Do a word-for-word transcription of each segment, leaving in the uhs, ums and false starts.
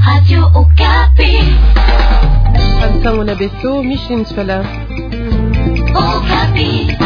Radio Okapi. Bansangu na beto, Micheline Sola. Okapi.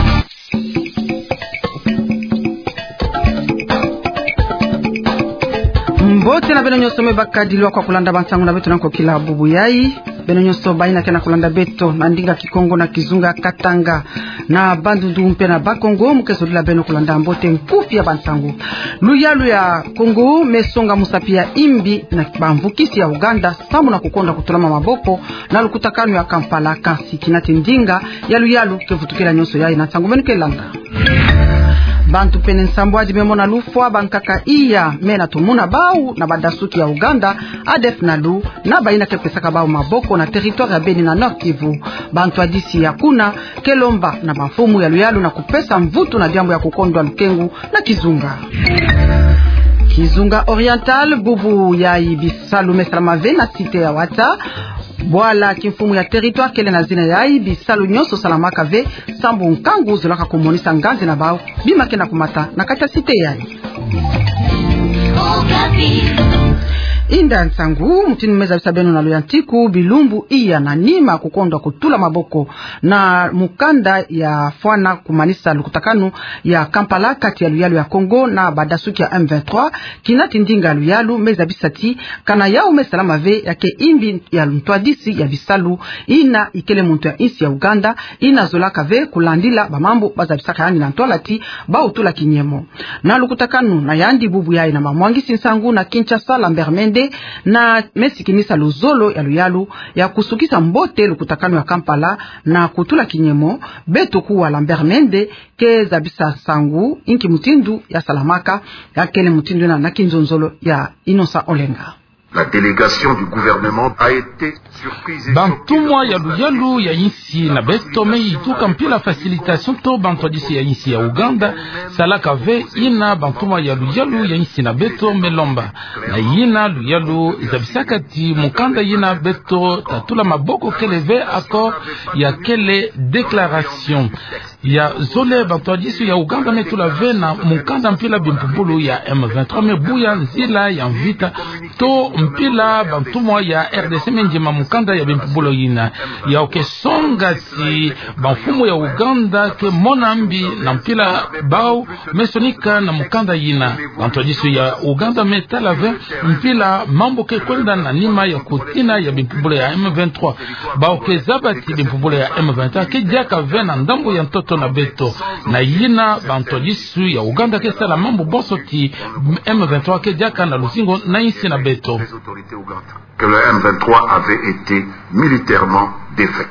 Mbote na beno nyonso me bakadi lwa kwa kulanda bansangu na beto na kokila bubu yai. Beno nyonso bayina ke na kulanda beto na ndinga Kikongo, na kizunga Katanga, na Bandundu mpe na Bas-Congo, mu ke zolila beno kulanda mbote nkufi ya bansangu. Luyalu ya Kongo me songa musapi ya imbi na bamvukisi ya Ouganda, samu na kukondwa kutulama maboko na lukutakanu ya Kampala, kansi kina ti ndinga ya luyalu ke vutukila nyonso yai na nsangu beno ke landa. Bantu pene nsambwadi me mona lufwa, bankaka iya me na tumuna bau na badasuki ya Ouganda, A D F Nalu, na bayina ke pesaka bau maboko na territoire ya Beni na Nord-Kivu. Bantwadisi ya kuna ke lomba na bamfumu ya luyalu na kupesa mvutu na diambu ya kukondwa lukengu na kizunga. Kizunga Oriental, bubu yai bisalu me salama ve na cité ya Wata. Bwala kimfumu ya territoire kele na zina yai, bisalu nyonso salamaka ve, sambu nkangu zolaka kumonisa nganzi na bau bima ke na kumata na kati ya cité yai. Inda nsangu, mutindu me zabisa beno na luyantiku, bilumbu iya na nima kukondwa kutula maboko na mukanda ya fwana kumanisa lukutakanu ya Kampala kati ya luyalu ya Kongo na badasuki ya M vingt-trois, kina ti ndinga luyalu me zabisa ti kana yau me salama ve ya ke imbi ya ntwadisi ya bisalu, ina ikele muntu ya insi ya Ouganda, ina zolaka ve kulandila bamambu bazabisaka yandi na ntwala ti bau tula kinyemo. Na lukutakanu na yandi, bubu yai na bamwangisi nsangu na Kinshasa, Lambert Mende, na me sikinisa luzolo ya luyalu ya kusukisa mbote lukutakanu ya Kampala na kutula kinyemo. Beto kuwa Lambert Mende ke zabisa nsangu inki mutindu ya salamaka, ya kele mutindu na, na kinzonzolo ya Innocent Olenga. La délégation du gouvernement a été surprise et choquée de constater que... Bantumwa ya luyalu ya insi na beto me ituka mpila facilitation to bantwadisi ya insi ya Ouganda salaka ve, ina bantumwa ya luyalu ya insi na beto me lomba. Na ina luyalu zabisaka ti mukanda ina beto tatula maboko kele ve accord, ya kele déclaration. Ya zole, bantwadisi ya Ouganda me tula ve na mukanda mpila bimpumbulu ya M vingt-trois me buya nzila ya mvita to mpila bantumwa ya R D C me ndima mukanda ya bimpumbulu ina. Ya oke songa ti bamfumu ya Ouganda ke mona mbi na mpila bau me sonika na mukanda ina. Bantwadisi ya Ouganda me tala ve mpila mambu ke kwenda na nima ya kutina ya bimpumbulu ya M vingt-trois. Bau ke zaba ti bimpumbulu ya M vingt-trois ke diaka ve na ndambu ya ntoto na beto. Na ina bantwadisi ya Ouganda ke sala mambu bonso ti M vingt-trois ke diaka na luzingu na insi na beto. Que le M vingt-trois avait été militairement défait.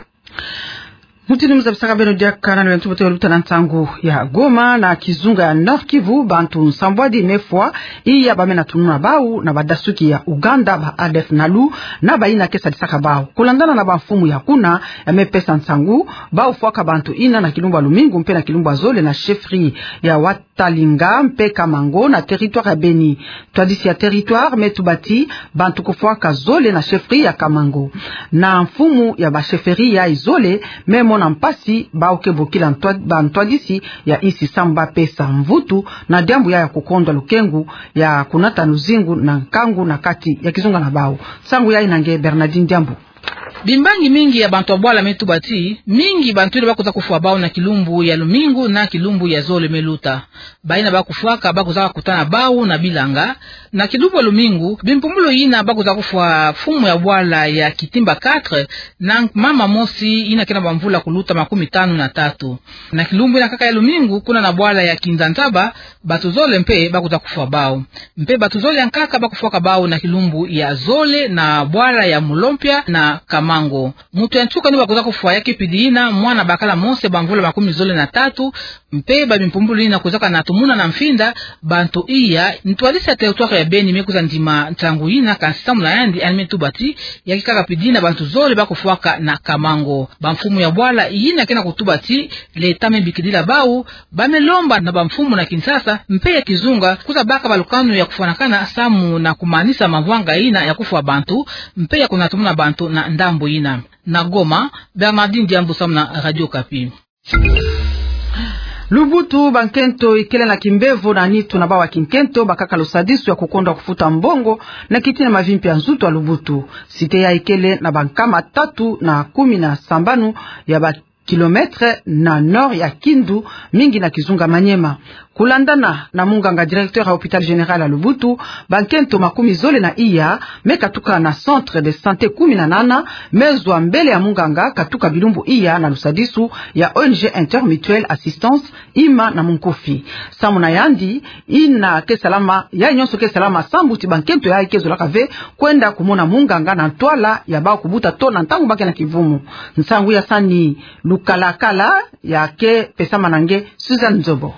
Mutindu me zabisaka beno diaka na luyantiku, beto luta na nsangu ya Goma. Na kizunga ya Nord-Kivu, bantu nsambwadi me fwa iya ba me na tununa bau na badasuki ya Ouganda, ba A D F Nalu, na bayina ke sadisaka bau. Kulandana na bamfumu ya kuna ya me pesa nsangu, bau fwaka bantu ina na kilumbu ya lumingu mpe na kilumbu ya zole na chefferie ya Watalinga mpe Kamango na territoire ya Beni. Ntwadisi ya territoire me tuba ti bantu kufwaka zole na chefferie ya Kamango. Na mfumu ya ba chefferie yai zole me mona mpasi bau ke bokila ntwa-, bantwadisi ya insi samu ba pesa mvutu na diambu ya, ya kukondwa lukengu ya kunata luzingu na nkangu na kati ya kizunga na bau. Nsangu yai na nge Bernardine Diambu. Bimbangi mingi ya bantu ya bwala me tuba ti mingi bantu ina ba kwiza kufwa bau na kilumbu ya lumingu na kilumbu ya zole me luta. Bayina ba kufwaka ba kwiza kutana bau na bilanga. Na kilumbu ya lumingu, bimpumbulu ina ba kwiza kufwa mfumu ya bwala ya Kitimba quatre na mama mosi ina ke na bamvula kuluta makumi tanu na tatu. Na kilumbu ina kaka ya lumingu, kuna na bwala ya Kinzanzaba, bantu zole mpe ba kwiza kufwa bau. Mpe bantu zole ya nkaka ba kufwaka bau na kilumbu ya zole na bwala ya Mulompia na Kamango. Muntu ya nsuka ni ba kwiza kufwa ya ke pidi ina mwana bakala mose bamvula makumi zole na tatu, mpe ba bimpumbulu ina kwizaka na tumuna na mfinda bantu iya. Ntwadisi ya territoire ya Beni me kwiza ndima nsangu ina, kansi samu na yandi yandi me tuba ti ya ke kaka pidi ina bantu zole ba kufwaka na Kamango. Bamfumu ya bwala ina ke na kutuba ti l'État me bikidila bau, ba me lomba na bamfumu na Kinshasa mpe ya kizunga kwiza baka balukanu ya kufwanakana samu na kumanisa mavwanga ina ya kufwa bantu mpe ya kunatumuna bantu na ndambu ina. Na Goma, Bernardine Diambu samu na Radio Okapi. Lubutu, bankento ikele na kimbevo na nitu na bau ya kinkento bakaka lusadisu ya kukondwa kufuta mbongo na kiti na mavimpi ya nzutu ya Lubutu. Site yayi ikele na bankama tatu na kumi na sambanu ya ba kilometre na nord ya Kindu, mingi na kizunga Maniema. Kulandana na munganga directeur ya hôpital général ya Lubutu, bankento makumi zole na iya me katuka na centre de santé kumi na nana me zwa mbele ya munganga katuka bilumbu iya na lusadisu ya O N G Intermutuelle Assistance, ima na munkufi. Samu na yandi, ina ke salama, yayi nyonso ke salama sambu ti bankento yayi ke zolaka ve kwenda kumona munganga na ntwala ya bau kubuta to na ntangu ba ke na kivumu. Nsangu ya sani lukalakala ya ke pesama na nge Suzanne Nzobo.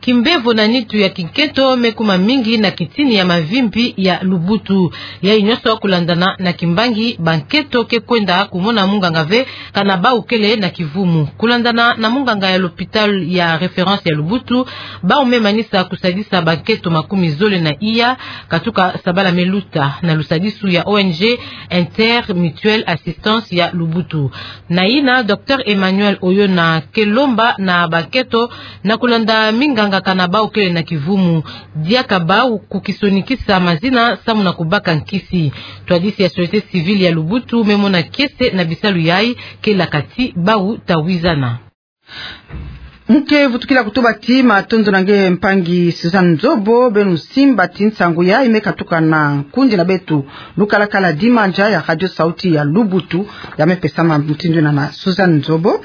Kimbevo na nitu ya kinkento me kuma mingi na kitini ya mavimpi ya Lubutu. Yayi nyonso kulandana na kimbangi, bankento ke kwenda kumona munganga ve kana bau kele na kivumu. Kulandana na munganga ya l'hôpital ya référence ya Lubutu, bau me manisa kusadisa bankento makumi zole na iya katuka sabala me luta na lusadisu ya O N G Intermutuelle Assistance ya Lubutu. Na yina, docteur Emmanuel Oyona ke lomba na bankento na kulanda minganga kana bau kele na kivumu, diaka bau kukisonikisa mazina samu na kubaka nkisi. Ntwadisi ya société civile ya Lubutu me mona kiese na bisalu yayi ke laka ti bau tawizana. Mu ke vutukila kutuba ti matondo na nge mpangi Suzanne Nzobo. Beno simba ti nsangu yayi me katuka na nkundi na beto lukalakala Dimanja ya Radio Sauti ya Lubutu, ya me pesama mutindu yina na Suzanne Nzobo.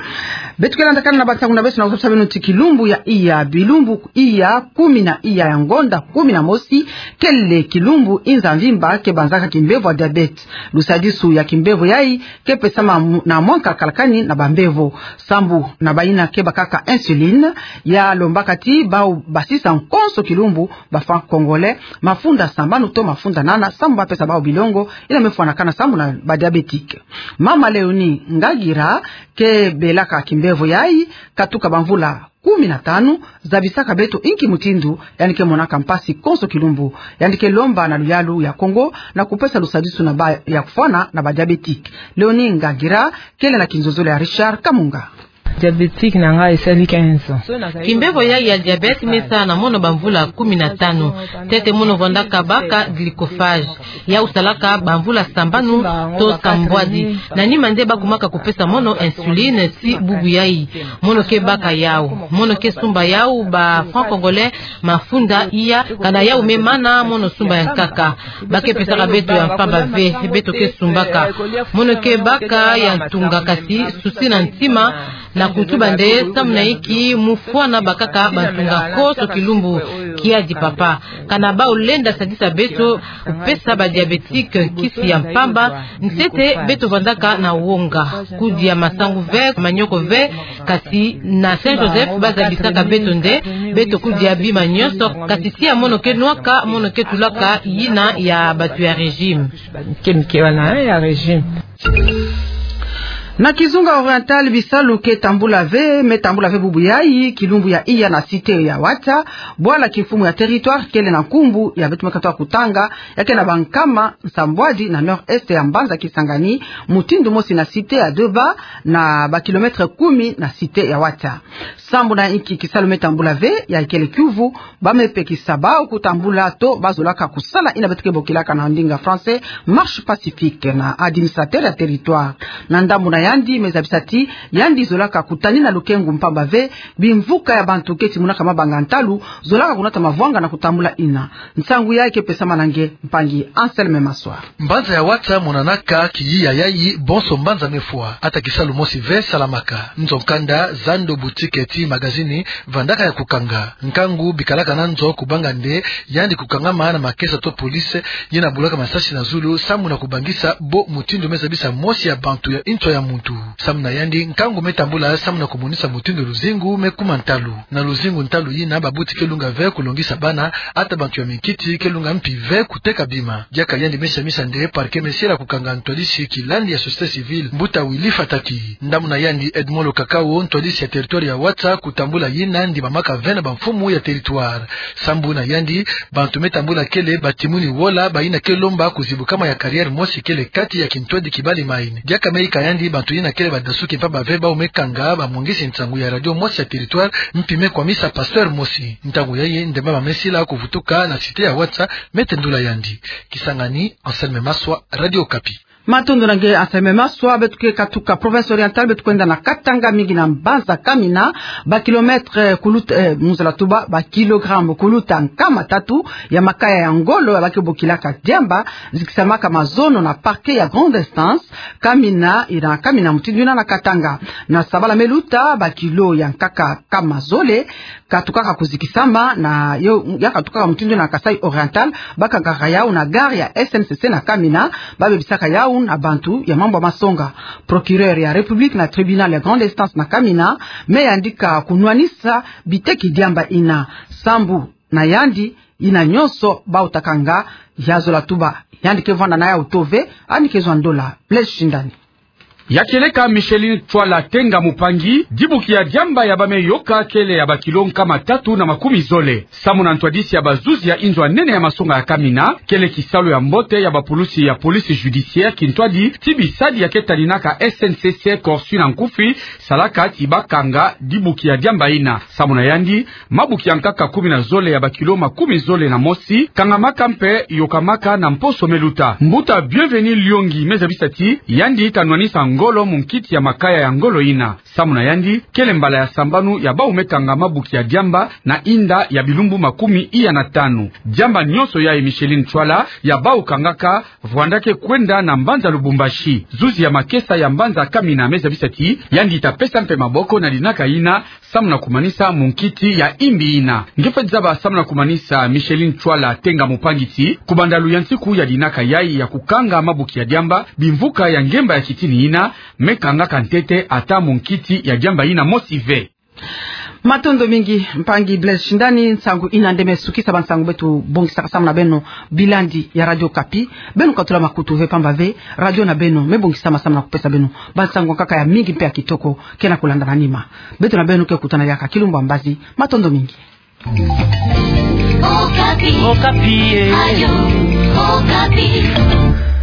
Beto ke landakana na bansangu na beto na kuzabisa beno ti kilumbu ya iya, bilumbu iya kumi na iya ya ngonda kumi na mosi, kele kilumbu inza mvimba ke banzaka kimbevo ya diabète. Lusadisu ya kimbevo yayi ke pesama mu-, na mwanka kalakani na bambevo. Sambu na bayina ke bakaka insuline, ya lombaka ti bau basisa nkonso kilumbu ba franc-congolais mafunda sambanu to mafunda nana, sambu ba pesa bau bilongo yina me fwanakana sambu na ba diabétique. Mama Léonie Ngagira ke belaka kimbevo yayi katuka bamvula kumi na tanu, zabisaka beto inki mutindu yandi ke monaka mpasi konso kilumbu. Yandi ke lomba na luyalu ya Kongo na kupesa lusadisu na ba ya kufwana na ba diabétique. Léonie Ngagira kele na kinzonzolo ya Richard Kamunga. Diabétique na ngai esali quinze ans. Kimbevo ya, ya diabète me sa na mono bamvula kumi na tanu. Ntete mono vandaka baka glycophage. Yau salaka bamvula sambanu to sambwadi. Na nima nde ba kumaka kupesa mono insuline ti bubu yayi. Mono ke baka yau. Mono ke sumba yau ba franc-congolais mafunda iya, kana yau me mana mono sumba ya nkaka. Ba ke pesaka beto ya mpamba ve, beto ke sumbaka. Mono ke baka ya ntunga kasi susi na ntima, na kutuba nde samu na inki mu fwana bakaka bantunga konso kilumbu. Kiadi papa. Kana bau lenda sadisa beto kupesa ba diabétique nkisi ya mpamba, ntete beto vandaka na wonga. Kudia masangu ve, manioko ve, kasi na Saint Joseph ba zabisaka beto nde beto kudia bima nyonso, kasi tia mono ke nwaka, mono ke tulaka yina ya bato ya régime. Ke mike wana, eh, ya régime. Na kizunga oriental, bisalu ke tambula ve, me tambula ve bubu yayi kilumbu ya iya na cité ya Watia, bwala kimfumu ya territoire kele na nkumbu ya beto me katuka kutanga, ya ke na bankama nsambwadi na nord-est ya mbanza Kisangani, mutindu mosi na cité ya Deba, na ba kilomètre kumi na cité ya Watia. Sambu na inki kisalu me tambula ve, ya ikele kiuvu, ba me pekisa bau kutambula to ba zolaka kusala yina beto ke bokilaka na ndinga français marche pacifique na administrateur ya territoire. Na ndambu na yandi me zabisa ti yandi zolaka kutanina lukengu mpamba ve, bimvuka ya bantu ke timunaka mabanga ntalu zolaka kunata mavwanga na kutambula yina. Nsangu yayi ke pesama na nge mpangi Anselme Maswa. Mbanza ya Watia monanaka kiyiya yayi bonso mbanza me fwa. Ata kisalu mosi ve salamaka. Nzo kanda, zando, boutique ti magazini vandaka ya kukanga. Nkangu bikalaka na nzo kubanga nde yandi kukangama na makesa to police, yina bulaka masasi na zulu samu na kubangisa bo mutindu me zabisa mosi ya bantu ya nswa ya muntu. Samu na yandi, nkangu me tambula samu na kumonisa mutindu luzingu me kuma ntalu. Na luzingu ntalu yina, babuti ke lunga ve kulongisa bana, ata bantu ya minkiti ke lunga mpi ve kuteka bima. Diaka yandi me samisa nde parquet me sila kukanga ntwadisi kilandi ya société civile, mbuta Willy Fataki. Ndambu na yandi Edmond Lokakao, ntwadisi ya territoire ya Watia, kutambula yina ndimamaka ve na bamfumu ya territoire. Sambu na yandi, bantu me tambula kele batimuni wola, bayina ke lomba kuzibukama ya carrière mosi kele kati ya kintwadi kibali mine. Diaka me yika yandi bantu Tuyina kele badasuki mpamba ve bawu me kanga bamongisi nsangu ya radio mosi ya territoire, mpi me kwamisa pasteur mosi. Ntangu yayi, ndemba mamesila kuvutuka na site ya WhatsApp, me tendula yandi. Kisangani, Anselme Maswa, Radio Okapi. Matondo na nge Anselme Maswa. Beto ke katuka province orientale, beto kwenda na Katanga, mingi na mbanza Kamina, ba kilomètre kuluta, eh, mu zola tuba, ba kilogramme kuluta nkama tatu ya makaya ya ngolo ya ba ke bokilaka diamba, zikisamaka mazono na parquet ya grande instance Kamina, ina Kamina mutindu ina na Katanga. Na sabala me luta, ba kilo ya nkaka nkama zole katukaka kuzikisama na yo, ya katukaka mutindu ina na Kasaï Oriental, bakangaka yawu na gare ya S N C C na Kamina, babebisaka yawu na bantu ya mambu ya masonga. Procureur ya République na tribunal ya grande instance na Kamina me yandika kunwanisa biteki diamba ina. Sambu na yandi, ina nyonso bawutakanga, ya zola tuba yandi ke vwanda na yawu to ve, yandi ke zwa ndola. Blaise Shindani. Ya kieleka Micheline Tchwala Tenga Mupangi, dibuki ya diamba ya ba me yoka kele ya ba kilo nkama tatu na makumi zole. Samu na ntwadisi ya bazuzi ya inzo ya nene ya masonga ya Kamina, kele kisalu ya mbote ya bapulusi ya police judiciaire kintwadi ti bisadi ya ke taninaka S N C C corsu na nkufi, salaka ti bakanga dibuki ya diamba ina. Samu na yandi, mabuki ya nkaka kumi na zole ya ba kilo makumi zole na mosi kangamaka mpe yokamaka na mposo me luta. Mbuta Bienvenu Lyongi me zabisa ti yandi ta nwanisa ngolo mu nkiti ya makaya ya ngolo ina. Samu na yandi, kele mbala ya sambanu ya bawu me kanga mabuki ya diamba na inda ya bilumbu makumi iya na tanu. Diamba nyonso yayi Micheline Tchwala ya bawu kangaka, vwanda ke kwenda na mbanza Lubumbashi. Zuzi ya makesa ya mbanza Kamina me zabisa ti yandi ta pesa mpe maboko na dinaka ina, samu na kumanisa mu nkiti ya imbi ina. Nge fweti zaba samu na kumanisa Micheline Tchwala Tenga Mupangi ti, ku bandalu ya nsiku ya dinaka yayi ya kukanga mabuki ya diamba, bimvuka ya ngemba ya kitini ina me kangaka ntete ata mu nkiti ya diamba ina mosi ve. Matondo mingi, mpangi Blaise Shindani. Nsangu ina nde me sukisa bansangu beto bongisaka samu na beno, bilandi ya Radio Okapi. Beno katula makutu ve, mpamba ve radio na beno me bongisama samu na kupesa beno bansangu ya nkaka ya mingi mpe ya kitoko ke na kulanda na nima. Beto na beno ke kutana diaka kilumbu ya mbazi. Matondo mingi. Okapi. Okapi, eh. Radio Okapi.